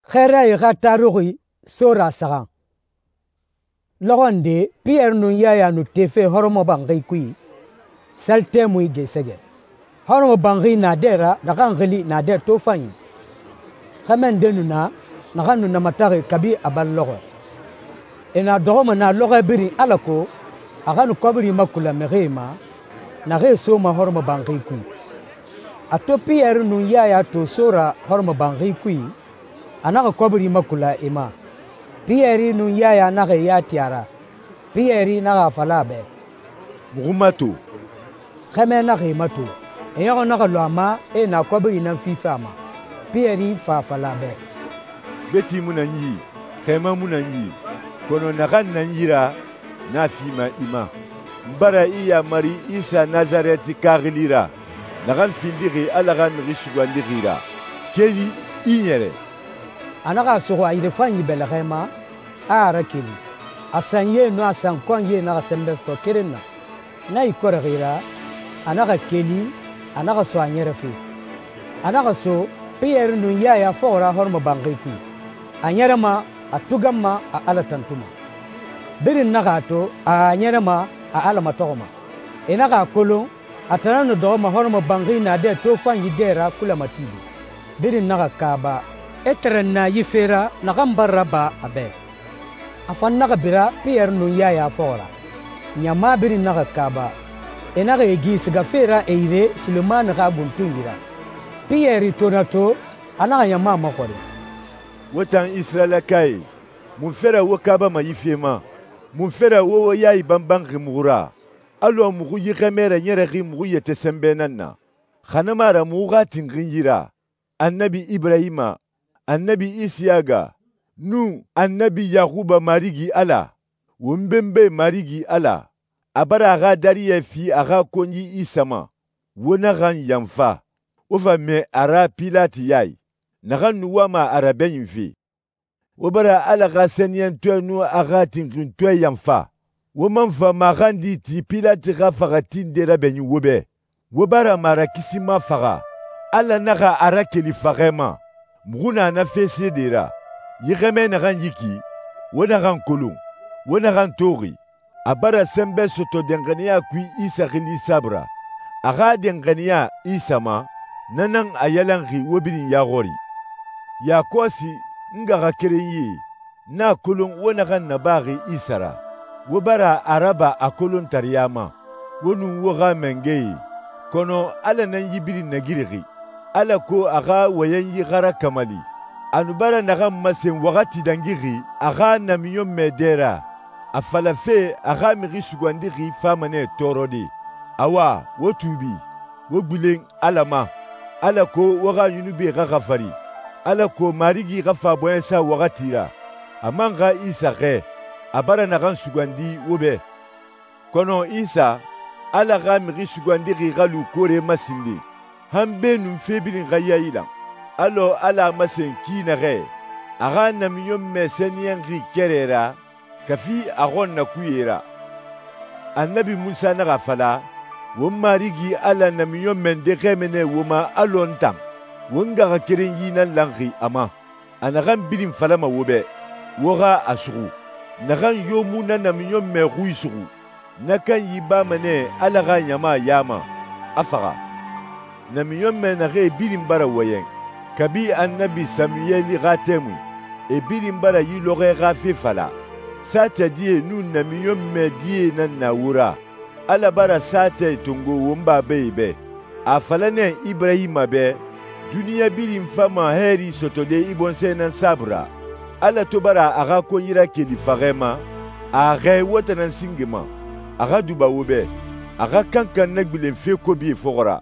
Xɛɛrae xa taruxi Sora saxan. Lɔxɔ nde Piyɛri nun Yaya nu tefe hɔrɔmɔbanxi kui, sali tɛmui gesɛgɛ. Hɔrɔmɔbanxi naadɛ ra naxan xili Naadɛ Tofanyi. Xɛmɛ nde nu na naxan nu namataxi kabi a balɔxɔɛ. E na dɔxɔma nɛ lɔxɔɛ birin alako a xa nu kɔbiri makula mixie ma, naxee soma hɔrɔmɔbanxi kui. A to Piyɛri nun Yaya to Sora hɔrɔmɔbanxi kui, a naxa kɔbiri makula e ma. Piyɛri nun Yaya naxa e ya ti a ra. Piyɛri naxa a fala a bɛ, «Muxu mato.» Xɛmɛ naxa e mato. E ɲɔxɔ naxa lu a ma, e na kɔbiri nan fife a ma. Piyɛri fa a fala a bɛ, «Beti mu nan yi, xɛmɛ mu nan yi, kɔnɔ naxan nan yi ra, n'a fima i ma. N bara i yamari Isa Nazarɛti xaxili ra, naxan findixi Ala xa Mixi Sugandixi ra. Keli i ɲɛrɛ.» A naxa a suxu a yirefanyi bɛlɛxɛ ma, a a rakeli. A sanyie nun a sankɔnyie naxa sɛnbɛ sɔtɔ keren na. Na ikɔrɛxi ra, a naxa keli, a naxa so a ɲɛrɛ fe. A naxa so Piyɛri nun Yaya fɔxɔ ra hɔrɔmɔbanxi kui. A ɲɛrɛma a tuganma a Ala tantuma. Birin naxa a to a ɲɛrɛma a Ala matɔxɔma. E naxa a kolon a tan nan nu dɔxɔma hɔrɔmɔbanxi naadɛ tofanyi dɛ ra kulamatibi. Birin naxa kaaba, e tɛrɛn na yi fe ra naxan bara raba a bɛ. A fan naxa bira Piyɛri nun Yaya fɔxɔ ra. Ɲama birin naxa kaaba, e naxa e gi sigafe ra e yire Sulemani xa buntunyi ra. Piyɛri to na to, a naxa ɲama maxɔrin, «Wo tan Isirayilakae, mun fɛrɛ wo kaabama yi fe ma? Mun fɛrɛ wo yayi banbanxi muxu ra? Alɔ muxu yi xɛmɛ raɲɛrɛxi muxu yɛtɛ sɛnbɛ nan na. Xa na mu a ra muxu xa tinxin yi ra, Annabi Iburahima, Annabi Isiyaga, nun Annabi Yaxuba Marigi Ala, won benbe Marigi Ala, a bara a xa dariyɛ fi a xa konyi Isa ma. Wo naxan yanfa. Wo fa mɛ a ra Pilati ya i, naxan nu wama a rabɛɲinfe. Wo bara Ala xa sɛniyɛntɔɛ nun a xa tinxintɔɛ yanfa. Wo man fa maxandi ti Pilati xa faxa tinde rabɛɲin wo bɛ. Wo bara marakisima faxa. Ala naxa a rakeli faxɛ ma. Muxu na na fe seede ra. Yi xɛmɛ naxan yiki, wo naxan kolon, wo naxan toxi. A bara sɛnbɛ sɔtɔ danxaniya kui Isa xili saabui ra. A xa danxaniya Isa ma, na nan a yalanxi wo birin ya xɔri. Yakɔsi n ngaxakerenyie, n a kolon wo naxan nabaxi Isa ra. Wo bara a raba a kolontariya ma, wo nun wo xa mangɛye. Kɔnɔ Ala nan yi birin nagirixi, alako a xa wɔyɛnyi xa rakamali. A nu bara naxan masen waxati dangixi a xa namiɲɔnmɛ dɛ ra, a falafe a xa Mixi Sugandixi fama nɛ tɔɔrɔde. Awa, wo tuubi, wo gbilen Ala ma, alako wo xa yunubie xa xafari, alako Marigi xa fa bɔɲɛsa waxati ra. A man xa Isa xɛɛ, a bara naxan sugandi wo bɛ. Kɔnɔ Isa, Ala xa Mixi Sugandixi xa lu koore masinde, han beenun fe birin xa yayilan. Alɔ Ala a masen ki naxɛ, a xa namiɲɔnmɛ sɛniyɛnxi kɛrɛ ra, kafi a xɔn na kuye ra. Annabi Musa naxa fala, won Marigi Ala namiɲɔnmɛ nde xɛmɛ nɛ wo ma alɔ n tan. Won ngaxakerenyi nan lanxi a ma. A naxan birin falama wo bɛ, wo xa a suxu. Naxan yo mu na namiɲɔnmɛ xui suxu, na kanyi bama nɛ Ala xa ɲama ya ma, a faxa. Namiɲɔnmɛ naxee birin bara wɔyɛn, kabi Annabi Samuyɛli xa tɛmui, e birin bara yi lɔxɔɛ xa fe fala. Saatɛ die nun namiɲɔnmɛ die nan na wo ra. Ala bara saatɛ tongo won babae bɛ. A fala nɛ Iburahima bɛ, duniɲa birin fama hɛɛri sɔtɔde i bɔnsɔɛ nan saabui ra. Ala to bara a xa konyi rakeli faxɛ ma, a xɛɛ wo tanan singe ma. A xa duba wo bɛ, a xa kankan nagbilen fe kobie fɔxɔ ra.